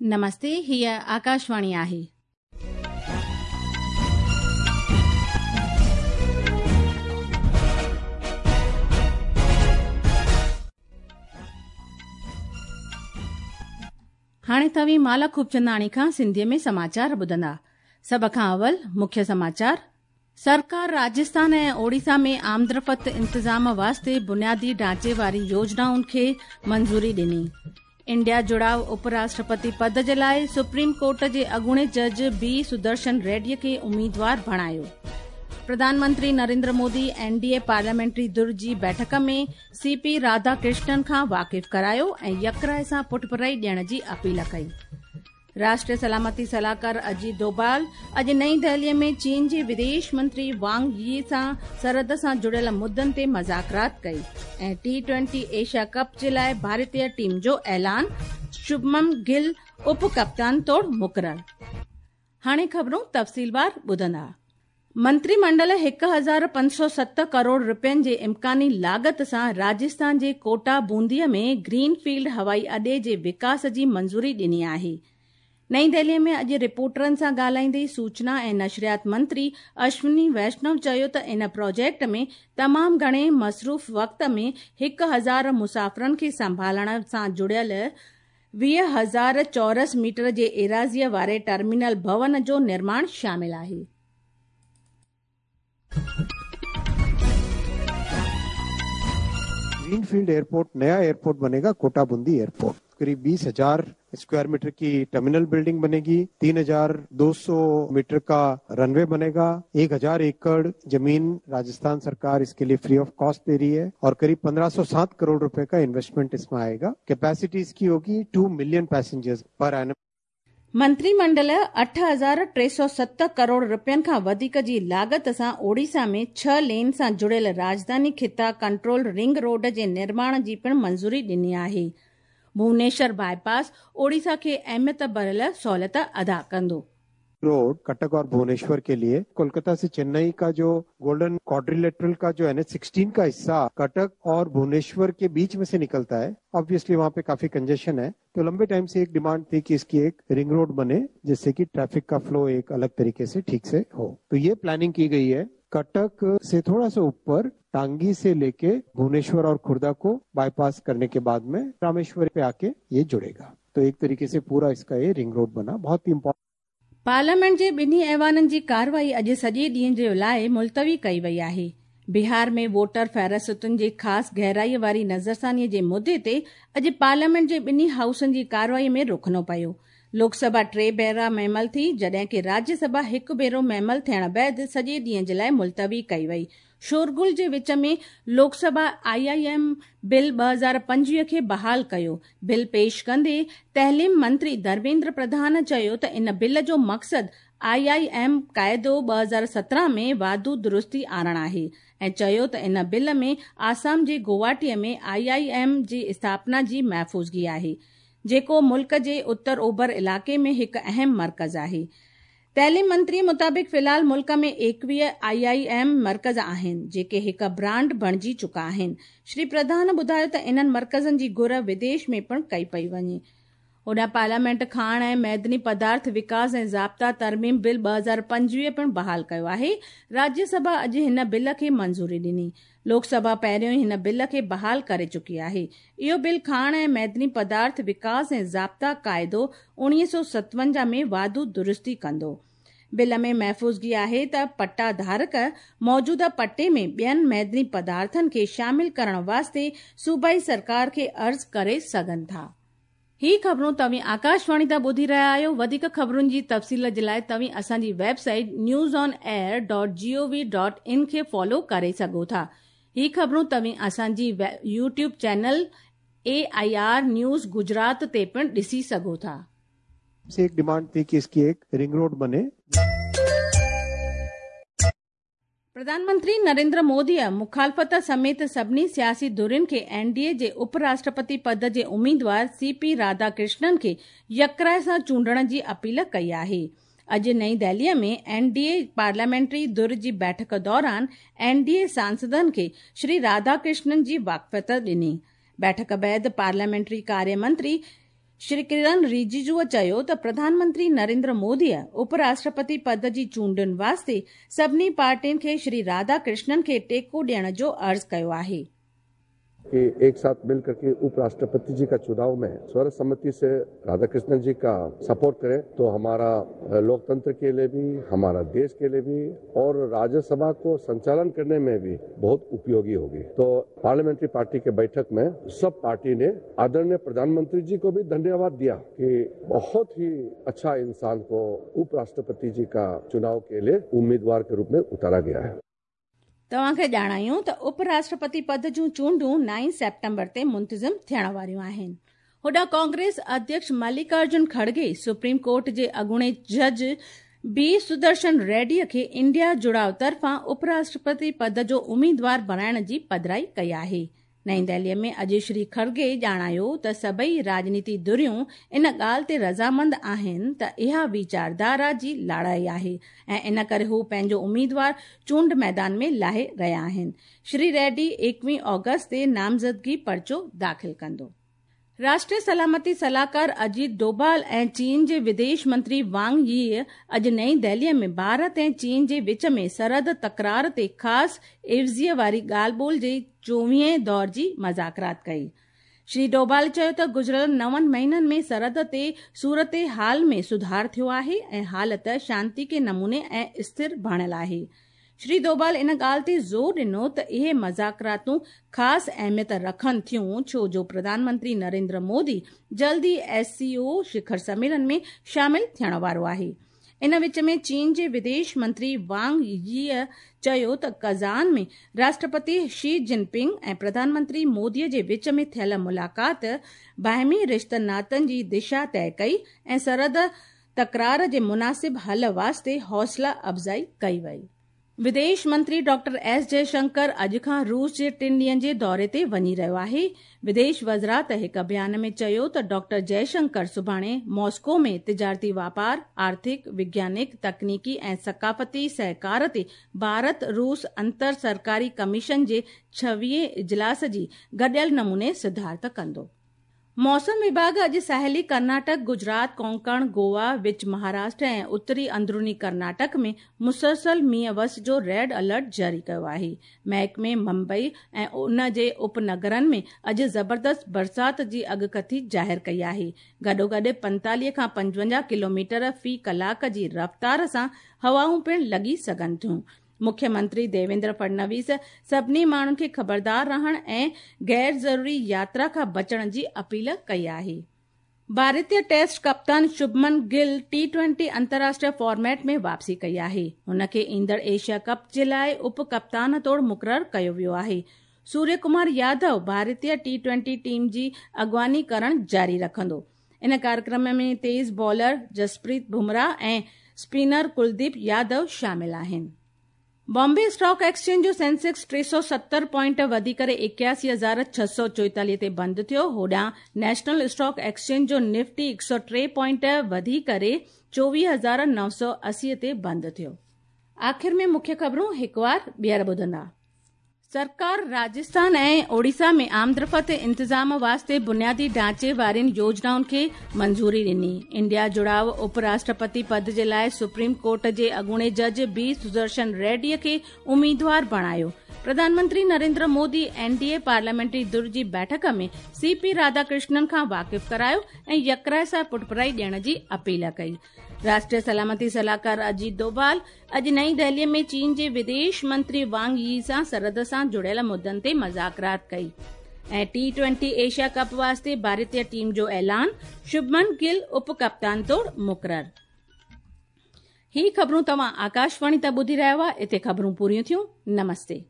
نمستي، هيء آڪاشواڻي آهي. هاڻي توهين مالا خوبچنداڻي کان سنڌيء ۾ سماچار ٻڌندا. سڀ کان اول مکيه سماچار. سرڪار راجسٿان ۽ اوڙيسا ۾ آمدرفت انتظام واسطي بنيادي ڍانچي واري يوجنائن کي منظوري ڏني. انڊيا جڙاء اپ راشٽرپتي پد جي لاء سپريم ڪورٽ جي اڳوڻي جج بي سدرشن ريڊي کي اميدوار بڻايو. Pradhan Mantri Narendra Modi N D A parliamentary ڌر جي بيٺڪ ۾ سي پي راڌا ڪرشنن کان واقف ڪرايو ۽ يڪراء سان پٺڀرائي ڏيڻ جي اپيل ڪئي. راشٽريه سلامتي صلاحڪار اجيت ڊوڀال اڄ نئين دهلي ۾ چين جي وديش منتري وانگ يي سان سرحد سان جڙيل مدن تي مذاڪرات ڪئي ۽ ٽي ٽوئنٽي ايشيا ڪپ جي لاء ڀارتي ٽيم جو اعلان، شڀمن گل اپ ڪپتان طور مقرر. هاڻي خبرون تفصيلوار ٻڌندا. منتري منڊل 1507 ڪروڙ رپين جي امڪاني لاڳت سان راجسٿان جي ڪوٽا بوندي ۾ گرين فيلڊ هوائي اڏي جي وڪاس جي منظوري ڏني آهي. نئين دهلي ۾ اڄ رپورٽرن سان ڳالهائيندي سوچنا ۽ نشريات منتري اشوني ويشنو چيو ته ان پروجيڪٽ ۾ تمام گهڻي مصروف وقت ۾ 1000 مسافرن کي سنڀالڻ سان جڙيل 20,000 چورس ميٽر جي ايراضيء واري ٽرمينل ڀون جو نرماڻ شامل آهي. گرين فيلڊ ايئرپورٽ نيا ايئرپورٽ بنيگا ڪوٽا بوندي ايئرپورٽ قريب 20,000 اسڪوائر ميٽر ڪي ٽرمينل بلڊنگ بنيگي 3,200 ميٽر ڪا رن وي بنيگا 1,000 ايڪڙ زمين راجسٿان سرڪار اسڪي لئي فري آف ڪاسٽ the رهي هي اور قريب 1507 ڪروڙ روپي ڪا انويسٽمينٽ اس مين آئيگا ڪيپيسٽي اسڪي هوگي 2 ملين پئسينجرز پر اينم. منتري منڊل 8307 ڪروڙ رپين کان وڌيڪ جي لاڳت سان اوڙيسا ۾ ڇهه لين سان جڙيل راڄڌاني خطا ڪنٽرول رنگ روڊ جي نرماڻ جي پڻ منظوري ڏني آهي. ڀونيشور باء پاس اوڙيسا کي اهميت ڀريل سهولت ادا ڪندو. روڊ ڪٽڪ اور ڀونيشور ڪي ليي ڪولڪتا سي چنئي ڪا جو گولڊن ڪواڊريليٽرل ڪا جو اين ايچ سڪسٽين ڪا حصا ڪٽڪ اور ڀونيشور ڪي بيچ مين سي نڪلتا هي آبويسلي وهان پي ڪافي ڪنجيشن هي تو لمبي ٽائيم سي ايڪ ڊيمانڊ ٿي ڪي اسڪي ايڪ رنگ روڊ بني جس سي ڪي ٽريفڪ ڪا فلو ايڪ الڳ طريقي سي ٺيڪ سي هو تو يي پلاننگ ڪي گئي هي ڪٽڪ سي ٿوڙا سا اوپر ٽانگي سي ليڪي ڀونيشور اور خورده ڪو باء پاس ڪرني ڪي بعد مين راميشور پي آڪي يي جڙيگا تو ايڪ طريقي سي پورا اسڪا يي رنگ روڊ بنا بهت هي امپورٽنٽ. پارليامينٽ جي ٻنهي ايوانن جي ڪارروائي اڄ سڄي ڏينهن جي لاء ملتوي ڪئي وئي آهي. بهار ۾ ووٽر فهرستن جي خاص گهرائي واري نظرثاني جي مدي تي اڄ پارليامينٽ جي ٻنهي هائوسن جي ڪارروائي ۾ رخنو پيو. لوڪ سڀا ٽي ڀيرا معمل ٿي، جڏهن ڪي راجيه سڀا هڪ ڀيرو معمل ٿيڻ بعد سڄي ڏينهن جي لاء ملتوي ڪئي وئي. شورغل جي وچ ۾ Lok Sabha I I M bill 2025 کي بحال ڪيو. بل پيش ڪندي تعليم منتري ڌرميندر پرڌان چيو ته ان بل جو مقصد آء I M قاعدو 2017 ۾ واڌو درستي آڻڻ آهي ۽ چيو ته ان بل ۾ آسام جي گوهاٽي ۾ آء I M جي اسٿاپنا جي محفوظگي آهي جيڪو ملڪ جي اتر اوڀر علائقي ۾ هڪ اهم مرڪز آهي. تعليم منتري مطابق في الحال ملڪ ۾ 21 آء I M مرڪز آهن، جيڪي هڪ برانڊ بڻجي چڪا آهن. شري پرڌان ٻڌايو ته انهن مرڪزن جي گهر وديش ۾ پڻ ڪئي پئي وڃي. هوڏانهن پارليامينٽ کاڻ ۽ معدني پدارٿ وڪاس ۽ ضابطا ترميم بل 2025 پڻ بحال ڪيو آهي. راجيه سڀا اڄ هن بل کي منظوري ڏني. لوڪ سڀا پهريون ئي هن بل کي بحال ڪري چڪي آهي. اهو بل کاڻ ۽ معدني پدارٿ وڪاس ۽ ضابطا قاعدو 1957 ۾ واڌو درستي ڪندو. بل ۾ محفوظگي آهي ته پٽا ڌارڪ موجوده پٽي ۾ ٻين معدني پدارٿن کي شامل ڪرڻ واسطي صوبائي سرڪار کي عرض ڪري سگهن ٿا. هي خبرون توهين آڪاشواڻي تان ٻڌي رهيا آهيو. وڌيڪ خبرن جي تفصيل جي لاء توهين اسان جي website news on air dot G O V dot in کي فالو ڪري سگهو ٿا. هي خبرون توهين اسان جي YouTube channel A I R news Gujarat تي پڻ ڏسي سگهو ٿا. سي ايڪ ڊيمانڊ ٿي ڪي اسڪي ايڪ رنگ روڊ بني. پرڌان منتري نريندر موديء مخالفت سميت سڀني سياسي ڌرين کي اين ڊي اي جي اپ راشٽرپتي پد جي اميدوار سي پي راڌا ڪرشنن کي يڪراء سان چونڊڻ جي اپيل ڪئي آهي. اڄ نئين دهليء ۾ اين ڊي اي پارليامينٽري ڌر جي بيٺڪ دوران اين ڊي اي سانسدن کي شري راڌا ڪرشنن جي واقفيت ڏني. بيٺڪ بعد پارليامينٽري ڪاريه منتري شري ڪرن رجيجوء چيو ته پرڌان منتري نريندر موديء اپ راشٽرپتي پد جي چونڊن واسطي سڀني پارٽين کي شري راڌا ڪرشنن کي ٽيڪو ڏيڻ جو عرض ڪيو آهي. कि एक साथ मिलकर के उपराष्ट्रपति जी का चुनाव में सर्वसम्मति से राधाकृष्णन जी का सपोर्ट करें तो हमारा लोकतंत्र के लिए भी, हमारा देश के लिए भी और राज्यसभा को संचालन करने में भी बहुत उपयोगी होगी। तो पार्लियामेंट्री पार्टी के बैठक में सब पार्टी ने आदरणीय प्रधानमंत्री जी को भी धन्यवाद दिया कि बहुत ही अच्छा इंसान को उपराष्ट्रपति जी का चुनाव के लिए उम्मीदवार के रूप में उतारा गया है। तव्हां खे ॼाणायूं त उप राष्ट्रपति पद जूं चूंडूं 9 सेप्टेम्बर ते मुंतज़िम थियण वारियूं आहिनि। होॾां कांग्रेस अध्यक्ष मल्लिकार्जुन खड़गे सुप्रीम कोर्ट जे अॻूणे जज बी सुदर्शन रेड्डीअ खे इंडिया जुड़ाव तरफ़ां उपराष्ट्रपति पद जो उम्मीदवार बणाइण जी पधराई कई आहे। नई दिल्लीअ में अॼु श्री खड़गे ॼाणायो त सभई राजनीति धुरियूं इन ॻाल्हि ते रज़ामंद आहिनि त इहा वीचारधारा जी लड़ाई आहे ऐं इन करे हू पंहिंजो उम्मीदवार चूंड मैदान में लाहे रहिया आहिनि। श्री रेड्डी 21 ऑगस्ट ते नामज़दगी पर्चो दाख़िल कंदो। राष्ट्रीय सलामती सलाहकार अजीत डोभाल ऐं चीन जे विदेश मंत्री वांग यी अॼु नई दिल्लीअ में भारत ऐं चीन जे विच में सरहद तकरार ते ख़ासि एवज़ीअ वारी ॻाल्हि ॿोल जे 24वें दौर जी मज़ाकरात कई। श्री डोभाल चयो त गुज़िरियल 9 महीननि में सरहद ते सूरत हाल में सुधार थियो आहे ऐं हालत शांति नमूने ऐं स्थिर बणियल आहे। श्री डोभाल इन ॻाल्हि ते ज़ोर ॾिनो त इहे मज़ाकरातूं ख़ासि अहमियत रखनि थियूं, छो जो प्रधानमंत्री नरेंद्र मोदी जल्द ई SCO शिखर सम्मेलन में शामिल थियण वारो आहे। इन विच में चीन जे विदेश मंत्री वांग यीअ चयो त कज़ान में राष्ट्रपति शी जिनपिंग ऐं प्रधानमंत्री मोदीअ जे विच में थियल मुलाक़ात बाहिमी रिश्तनि नातनि जी दिशा तय कई ऐं सरहद तकरार जे मुनासिब हल वास्ते हौसला अफ़ज़ाई कई वई। विदेश मंत्री डॉक्टर एस जयशंकर अॼु खां रूस जे 3 ॾींहनि जे दौरे ते वञी रहियो आहे। विदेश वज़ारत हिकु बयान में चयो त डॉक्टर जयशंकर सुभाणे मॉस्को में तिजारती वापार, आर्थिक, वैज्ञानिक, तकनीकी ऐं सकाफ़ती सहकार ते भारत रूस अंतर सरकारी कमीशन जे 26वें इजलास जी गॾियल नमूने सिद्धार्थ कंदो। मौसम विभाग अॼु साहिली कर्नाटक, गुजरात, कोंकण, गोवा, विच महाराष्ट्र ऐं उत्तरी अंदरूनी कर्नाटक में मुसलसल मींहं वस जो रेड अलर्ट जारी कयो आहे। महकमे मुंबई ऐं उन जे उपनगरनि में अॼु ज़बरदस्त बरसात जी अॻकथी ज़ाहिर कई आहे। गॾोगॾु 45 खां 55 किलोमीटर फ़ी कलाक जी रफ़्तार सां हवाऊं पिणु लॻी सघनि थियूं। मुख्यमंत्री देवेंद्र फडणवीस सभिनी माण्हुनि खे ख़बरदार रहण ऐं गैर ज़रूरी यात्रा खां बचण जी अपील कई आहे। भारतीय टेस्ट कप्तान शुभमन गिल T20 अंतर्राष्ट्रीय फॉर्मेट में वापसी कई आहे। हुन खे ईंदड़ एशिया कप जे लाइ उप कप्तान तौर मुक़ररु कयो वियो आहे। सूर्य कुमार यादव भारतीय T20 team जी अॻुवानी करण जारी रखंदो। इन कार्यक्रम में तेज़ बॉलर जसप्रीत बुमराह ऐं स्पिनर कुलदीप यादव शामिल आहिनि। बॉम्बे स्टॉक एक्सचेंज जो सेंसेक्स 370 पॉइंट वधी करे 81,644 ते बंदि थियो। होॾां नेशनल स्टॉक एक्सचेंज जो निफ्टी 103 पॉइंट वधी करे 24,980 ते बंदि थियो। आख़िर में मुख्य ख़बरूं हिकु वार ॿीहर ॿुधंदा। सरकार राजस्थान ऐं ओडिशा में आमदरफ़्त इंतज़ाम वास्ते बुनियादी ढांचे वारियुनि योजनाउनि खे मंज़ूरी ॾिनी। इंडिया जुड़ाव उपराष्ट्रपति पद जे लाइ सुप्रीम कोर्ट जे अॻूणे जज बी सुदर्शन रेड्डीअ खे उम्मीदवार बणायो। प्रधानमंत्री नरेंद्र मोदी एनडीए पार्लियामेंट्री धुर जी बैठक में सीपी राधाकृष्णन खां वाक़िफ़ करायो ऐं यकराय सां पुठभराई ॾियण जी अपील कई। राष्ट्रीय सलामती सलाहकार अजीत डोभाल अॼु नई दिल्लीअ में चीन जे विदेश मंत्री वांग यी सां सरहद सां जुड़ियल मुद्दनि ते मज़ाकरात कई। ऐं T20 Asia cup वास्ते भारतीय टीम जो ऐलान, शुभमन गिल उप कप्तान तौर मुक़ररु। ही ख़बरूं तव्हां आकाशवाणी तां ॿुधी रहिया हुआ। हिते ख़बरूं पूरियूं थियूं। नमस्ते।